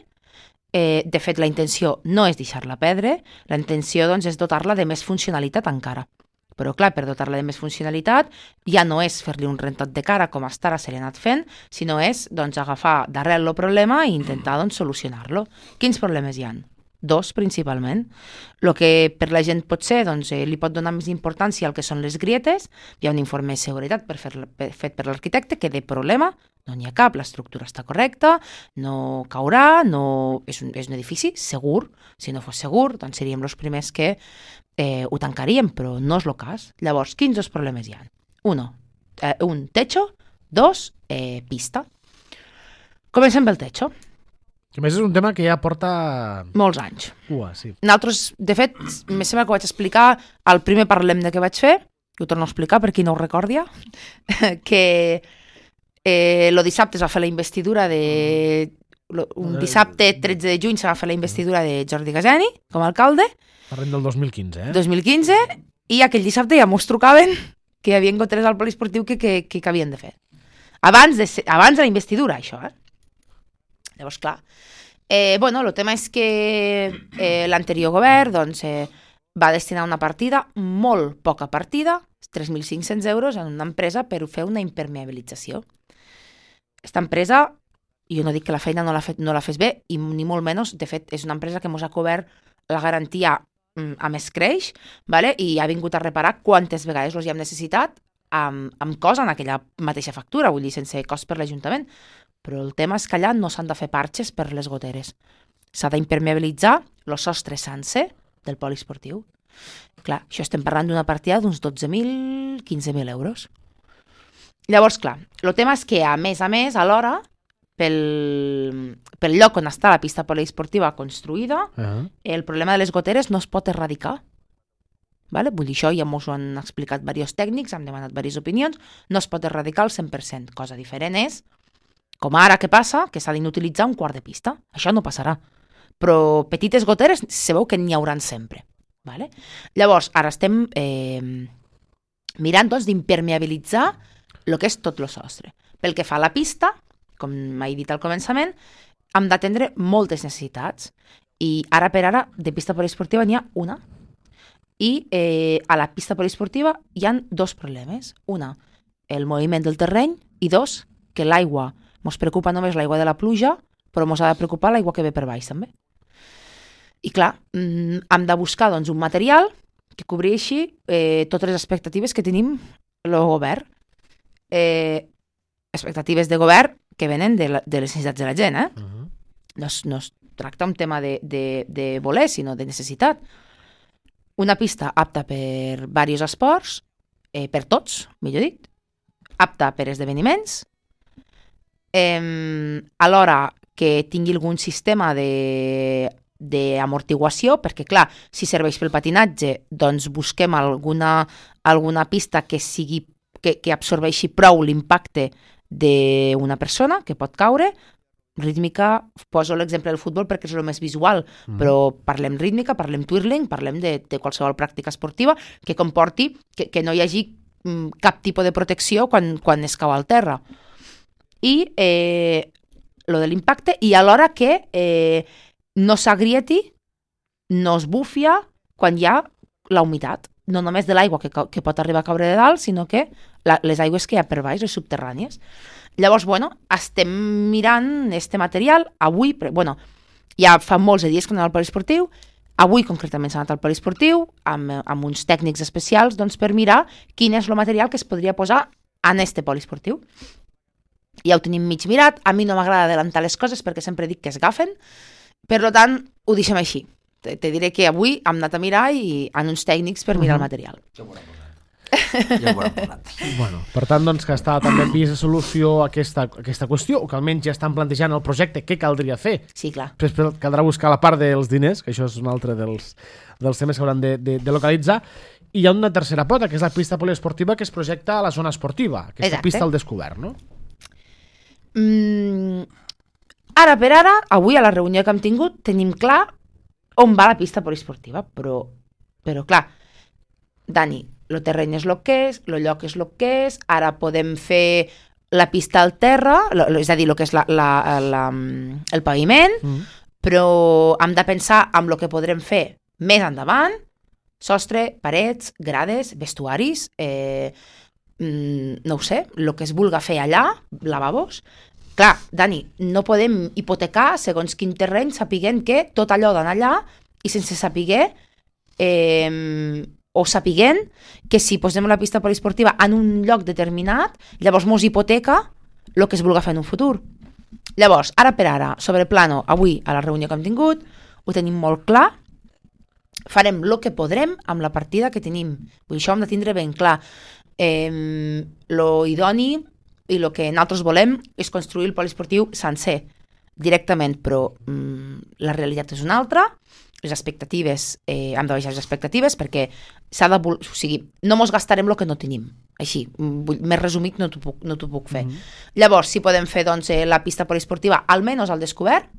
Eh, de fet, la intenció no és deixar-la perdre, la intenció doncs, és dotar-la de més funcionalitat encara. Però, clar, per dotar-la de més funcionalitat ja no és fer-li un rentat de cara com hasta ara se l'ha anat fent, sinó és doncs, agafar d'arrel el problema i intentar doncs, solucionar-lo. Quins problemes hi ha? Dos, principalment. El que per la gent pot ser, doncs, eh, li pot donar més importància al que són les grietes. Hi ha un informe de seguretat per fer, per, fet per l'arquitecte que de problema no n'hi ha cap, l'estructura està correcta, no caurà, no... És, un, és un edifici segur. Si no fos segur, doncs seríem els primers que eh, ho tancaríem, però no és el cas. Llavors, quins dos problemes hi ha? Uno, eh, un techo, dos, eh, pista. Comencem pel techo. Que més és un tema que ja porta... Molts anys. Ua, sí. Nosaltres, de fet, me sembla que ho vaig explicar al primer parlem de què vaig fer, ho torno a explicar per qui no ho recordia, que eh, el dissabte es va fer la investidura de... Lo, un dissabte tretze de juny se va fer la investidura de Jordi Gaseni com a alcalde. Parlem del dos mil quinze, eh? dos mil quinze, i aquell dissabte ja mos trucaven que hi havia goteres al poliesportiu que, que, que, que havien de fer. Abans de, ser, abans de la investidura, això, eh? Llavors, clar, eh, bueno, el tema és que eh, l'anterior govern doncs, eh, va destinar una partida, molt poca partida, tres mil cinc-cents euros, en una empresa per fer una impermeabilització. Aquesta empresa, jo no dic que la feina no la, fet, no la fes bé, i ni molt menys, de fet, és una empresa que ens ha cobert la garantia mm, a més creix, vale? I ha vingut a reparar quantes vegades els hi hem necessitat amb, amb cost en aquella mateixa factura, vull dir, sense cost per l'Ajuntament. Però el tema és que allà no s'han de fer parxes per les goteres. S'ha d'impermeabilitzar el sostre sencer del poliesportiu. Clar, això estem parlant d'una partida d'uns dotze mil, quinze mil euros. Llavors, clar, el tema és que, a més a més, alhora, pel, pel lloc on està la pista poliesportiva construïda, uh-huh. el problema de les goteres no es pot erradicar. Vale? Vull dir, això ja m'ho han explicat diversos tècnics, hem demanat diverses opinions, no es pot erradicar al cent per cent. Cosa diferent és, com ara que passa, que s'ha d'inutilitzar un quart de pista. Això no passarà. Però petites goteres se veu que n'hi hauran sempre. Vale? Llavors, ara estem eh, mirant doncs, d'impermeabilitzar el que és tot el sostre. Pel que fa a la pista, com m'he dit al començament, hem d'atendre moltes necessitats. I ara per ara, de pista poliesportiva n'hi ha una. I eh, a la pista poliesportiva hi ha dos problemes. Una, el moviment del terreny, i dos, que l'aigua ens preocupa només l'aigua de la pluja, però ens ha de preocupar l'aigua que ve per baix també. I clar, hem de buscar doncs, un material que cobreixi eh, totes les expectatives que tenim el govern. Eh, expectatives de govern que venen de, la, de les necessitats de la gent. Eh? Uh-huh. No, es, no es tracta un tema de, de, de voler, sinó de necessitat. Una pista apta per diversos esports, eh, per tots, millor dit, apta per esdeveniments, eh, alhora que tingui algun sistema de d'amortiguació, perquè clar, si serveix pel patinatge, doncs busquem alguna, alguna pista que sigui que, que absorbeixi prou l'impacte d'una persona que pot caure. Rítmica, poso l'exemple del futbol perquè és el més visual, mm. però parlem rítmica, parlem twirling, parlem de, de qualsevol pràctica esportiva que comporti que, que no hi hagi mm, cap tipus de protecció quan, quan es cau al terra. I eh, lo de l'impacte, i alhora que eh, no s'agrieti, no es bufia quan hi ha la humitat, no només de l'aigua que, que pot arribar a caure de dalt, sinó que la, les aigües que hi ha per baix, les subterrànies. Llavors, bueno, estem mirant este material. Avui, bueno, ja fa molts de dies que anem al poliesportiu, avui concretament s'ha anat al poliesportiu, amb, amb uns tècnics especials, doncs, per mirar quin és el material que es podria posar en este poliesportiu. Ja ho tenim mig mirat, a mi no m'agrada adelantar les coses perquè sempre dic que es gafen, per tant, ho deixem així. Te, te diré que avui hem anat a mirar i en uns tècnics per mirar uh-huh. el material. ja ho haurem parlat. Bueno, per tant, doncs, que està també vist de solució a aquesta, aquesta qüestió, o que almenys ja estan plantejant el projecte, què caldria fer. Sí, clar. Després caldrà buscar la part dels diners, que això és un altre dels, dels temes que hauran de, de, de localitzar. I hi ha una tercera pota, que és la pista poliesportiva que es projecta a la zona esportiva, aquesta Exacte. pista al descobert, no? Mm, ara per ara, avui a la reunió que hem tingut, tenim clar on va la pista poliesportiva, però, però clar, Dani, el terreny és el que és, el lloc és el que és, ara podem fer la pista al terra, lo, lo, és a dir, el que és la, la, la, el paviment, mm. però hem de pensar en el que podrem fer més endavant, sostre, parets, grades, vestuaris, eh, mm, no ho sé, el que es vulga fer allà, lavabos. Clar, Dani, no podem hipotecar segons quin terreny sapiguent que tot allò d'anar allà i sense sapiguer eh, o sapiguent que si posem la pista poliesportiva en un lloc determinat, llavors mos hipoteca el que es vulga fer en un futur. Llavors, ara per ara, sobre plano, avui a la reunió que hem tingut, ho tenim molt clar, farem el que podrem amb la partida que tenim. Vull dir, això hem de tindre ben clar. Eh, lo idoni i el que nosaltres volem és construir el poliesportiu sencer, directament, però mm, la realitat és una altra, les expectatives, eh, hem de baixar les expectatives perquè s'ha de... O sigui, no mos gastarem el que no tenim. Així, vull, més resumit no t'ho puc, no t'ho puc fer. Mm-hmm. Llavors, si podem fer doncs, eh, la pista poliesportiva, almenys al descobert,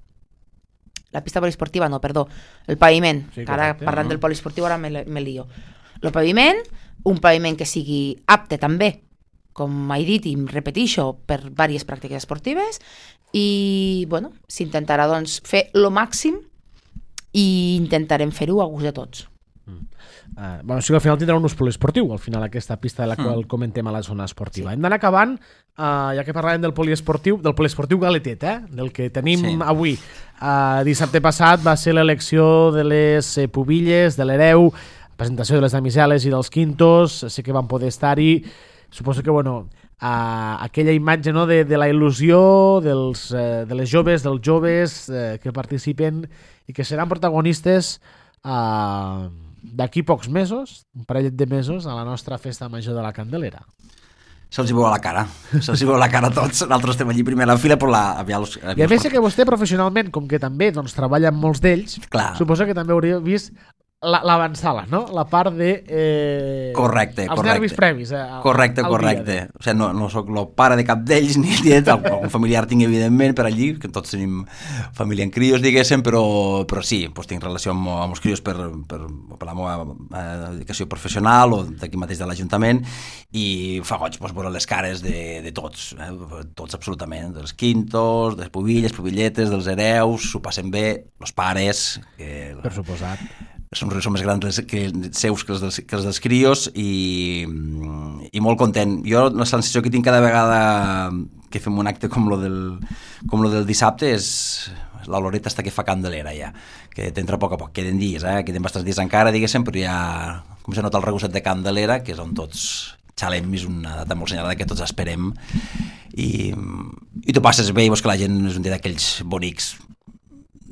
la pista poliesportiva, no, perdó, el paviment, sí, que ara parlant no? del poliesportiu ara me, me lio. El paviment, un paviment que sigui apte també, com he dit i em repeteixo, per diverses pràctiques esportives i, bueno, s'intentarà doncs, fer el màxim i intentarem fer-ho a gust de tots. Mm. Uh, bueno, o sigui, al final tindrà un ús poliesportiu, al final aquesta pista de la qual mm. comentem a la zona esportiva. Sí. Hem d'anar acabant, uh, ja que parlàvem del poliesportiu, del poliesportiu galetet, eh? Del que tenim sí. avui. Uh, dissabte passat va ser l'elecció de les eh, pubilles, de l'hereu, presentació de les damiseles i dels quintos, sé que van poder estar-hi. Suposo que, bueno, uh, aquella imatge, no, de, de la il·lusió dels, uh, de les joves, dels joves uh, que participen i que seran protagonistes uh, d'aquí pocs mesos, un parell de mesos, a la nostra festa major de la Candelera. Se'ls hi veu la cara, se'ls hi veu la cara a tots. Nosaltres estem allí primer a la fila, però la... Havia els, havia I a més que vostè professionalment, com que també doncs, treballa amb molts d'ells, suposo que també hauria vist l'avançala, no? La part de... Eh, correcte, els correcte. nervis previs. Eh, correcte, correcte. De... O sigui, no, no soc el pare de cap d'ells, ni net, algun familiar tinc, evidentment, per allí, que tots tenim família en crios, diguéssim, però, però sí, doncs tinc relació amb, amb els crios per, per, per la meva eh, dedicació professional o d'aquí mateix de l'Ajuntament, i fa goig doncs, veure les cares de, de tots, eh, tots absolutament, dels quintos, de les pubilles, pubilletes, dels hereus, s'ho passen bé, els pares... Que, per suposat. Són, són més grans que seus que els dels, que els dels crios i, i molt content. Jo la sensació que tinc cada vegada que fem un acte com lo del, com lo del dissabte és la Loreta està que fa Candelera ja, que t'entra a poc a poc, queden dies, eh? queden bastants dies encara, diguéssim, però ja com se nota el regusset de Candelera, que és on tots xalem, és una data molt senyalada que tots esperem i, i tu passes bé i veus que la gent és un dia d'aquells bonics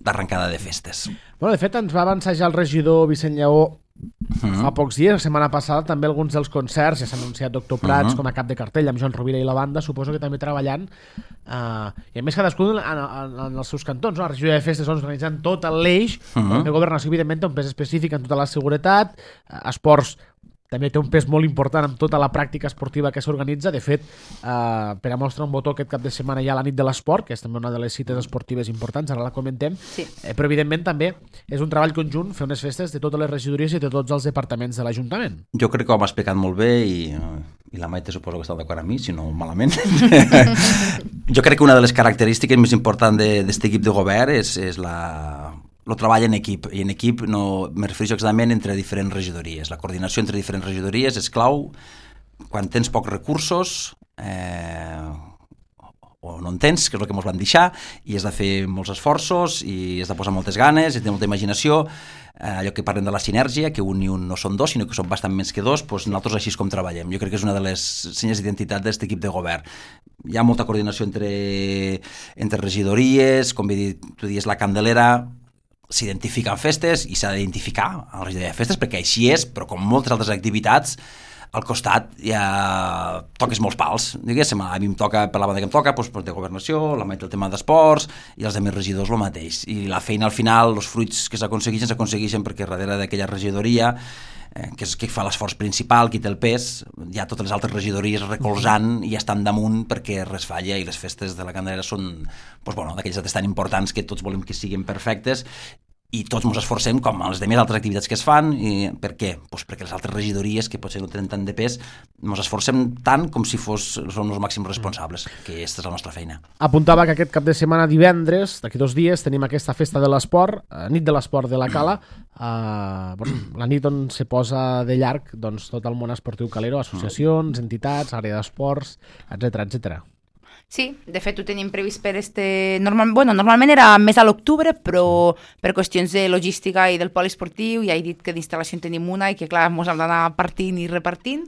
d'arrencada de festes. Bueno, de fet, ens va avançar ja el regidor Vicent Lleó uh-huh. fa pocs dies, la setmana passada, també alguns dels concerts, ja s'ha anunciat Doctor Prats uh-huh. com a cap de cartell, amb Joan Rovira i la banda, suposo que també treballant, uh, i a més cadascú en, en, en els seus cantons, no? La regió de festes doncs, organitzant tot l'eix, uh-huh. el governació, evidentment, té un pes específic en tota la seguretat, uh, esports, també té un pes molt important amb tota la pràctica esportiva que s'organitza. De fet, eh, per a mostrar un botó aquest cap de setmana hi ha la nit de l'esport, que és també una de les cites esportives importants, ara la comentem, sí. eh, però evidentment també és un treball conjunt fer unes festes de totes les regidories i de tots els departaments de l'Ajuntament. Jo crec que ho hem explicat molt bé i, i la Maite suposo que està d'acord amb mi, si no malament. Jo crec que una de les característiques més importants d'aquest equip de govern és, és la... el treball en equip, i en equip no me refereixo exactament entre diferents regidories. La coordinació entre diferents regidories és clau quan tens pocs recursos eh, o no en tens, que és el que ens van deixar, i has de fer molts esforços i has de posar moltes ganes, i tenir molta imaginació, eh, allò que parlem de la sinèrgia, que un i un no són dos, sinó que són bastant més que dos, doncs nosaltres així és com treballem. Jo crec que és una de les senyes d'identitat d'aquest equip de govern. Hi ha molta coordinació entre, entre regidories, com tu dius, la Candelera, s'identifiquen festes i s'ha d'identificar a la regidoria de festes perquè així és, però com moltes altres activitats al costat ja toques molts pals, diguéssim, a mi em toca, per la banda que em toca, doncs, de governació, la meitat del tema d'esports, i els altres regidors el mateix. I la feina al final, els fruits que s'aconsegueixen, s'aconsegueixen perquè darrere d'aquella regidoria, eh, que és qui fa l'esforç principal, qui té el pes, hi ha totes les altres regidories recolzant i estan damunt perquè res falla, i les festes de la Candelera són doncs, bueno, d'aquelles dates tan importants que tots volem que siguin perfectes, i tots ens esforcem com a les demés altres activitats que es fan. I per què? Pues perquè les altres regidories, que potser no tenen tant de pes, ens esforcem tant com si fos, som els màxims responsables, que aquesta és la nostra feina. Apuntava que aquest cap de setmana, divendres, d'aquí dos dies, tenim aquesta festa de l'esport, eh, nit de l'esport de la Cala, eh, bueno, la nit on se posa de llarg doncs, tot el món esportiu calero, associacions, entitats, àrea d'esports, etcètera, etcètera. Sí, de fet ho tenim previst per este... Normal... Bueno, normalment era més a l'octubre, però per qüestions de logística i del poliesportiu ja he dit que d'instal·lació en tenim una i que clar, ens hem d'anar partint i repartint.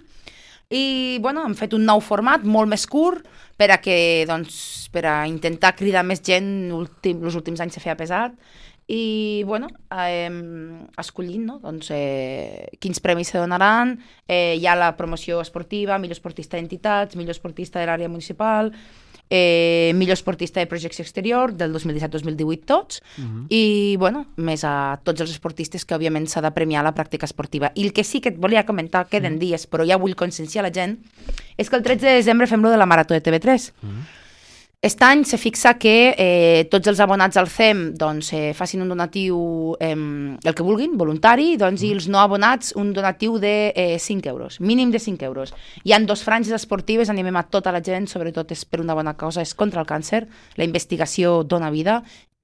I bueno, hem fet un nou format molt més curt per a, que, doncs, per a intentar cridar més gent. Últim, els últims anys se feia pesat. I bueno, eh, escollint no? doncs, eh, quins premis se donaran. Eh, hi ha la promoció esportiva, millor esportista d'entitats, millor esportista de l'àrea municipal, eh, millor esportista de projecció exterior del dos mil disset dos mil divuit tots, uh-huh. i bueno, més a tots els esportistes que òbviament s'ha de premiar la pràctica esportiva. I el que sí que et volia comentar, queden uh-huh. dies, però ja vull conscienciar la gent, és que el tretze de desembre fem lo de la Marató de T V tres. Uh-huh. Aquest any se fixa que eh, tots els abonats al C E M doncs, eh, facin un donatiu, eh, el que vulguin, voluntari, doncs, mm. i els no abonats un donatiu de eh, cinc euros, mínim de cinc euros. Hi han dos franges esportives, animem a tota la gent, sobretot és per una bona causa, és contra el càncer, la investigació dona vida,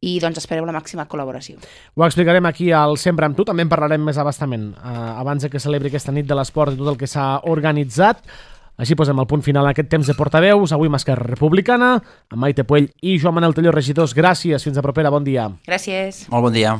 i doncs espereu la màxima col·laboració. Ho explicarem aquí al Sempre amb tu, també en parlarem més abastament, eh, abans que celebri aquesta nit de l'esport i tot el que s'ha organitzat. Així posem el punt final a aquest temps de portaveus, avui amb Esquerra Republicana, amb Maite Puell i Joan Manel Telló, regidors. Gràcies, fins a propera, bon dia. Gràcies. Molt bon dia.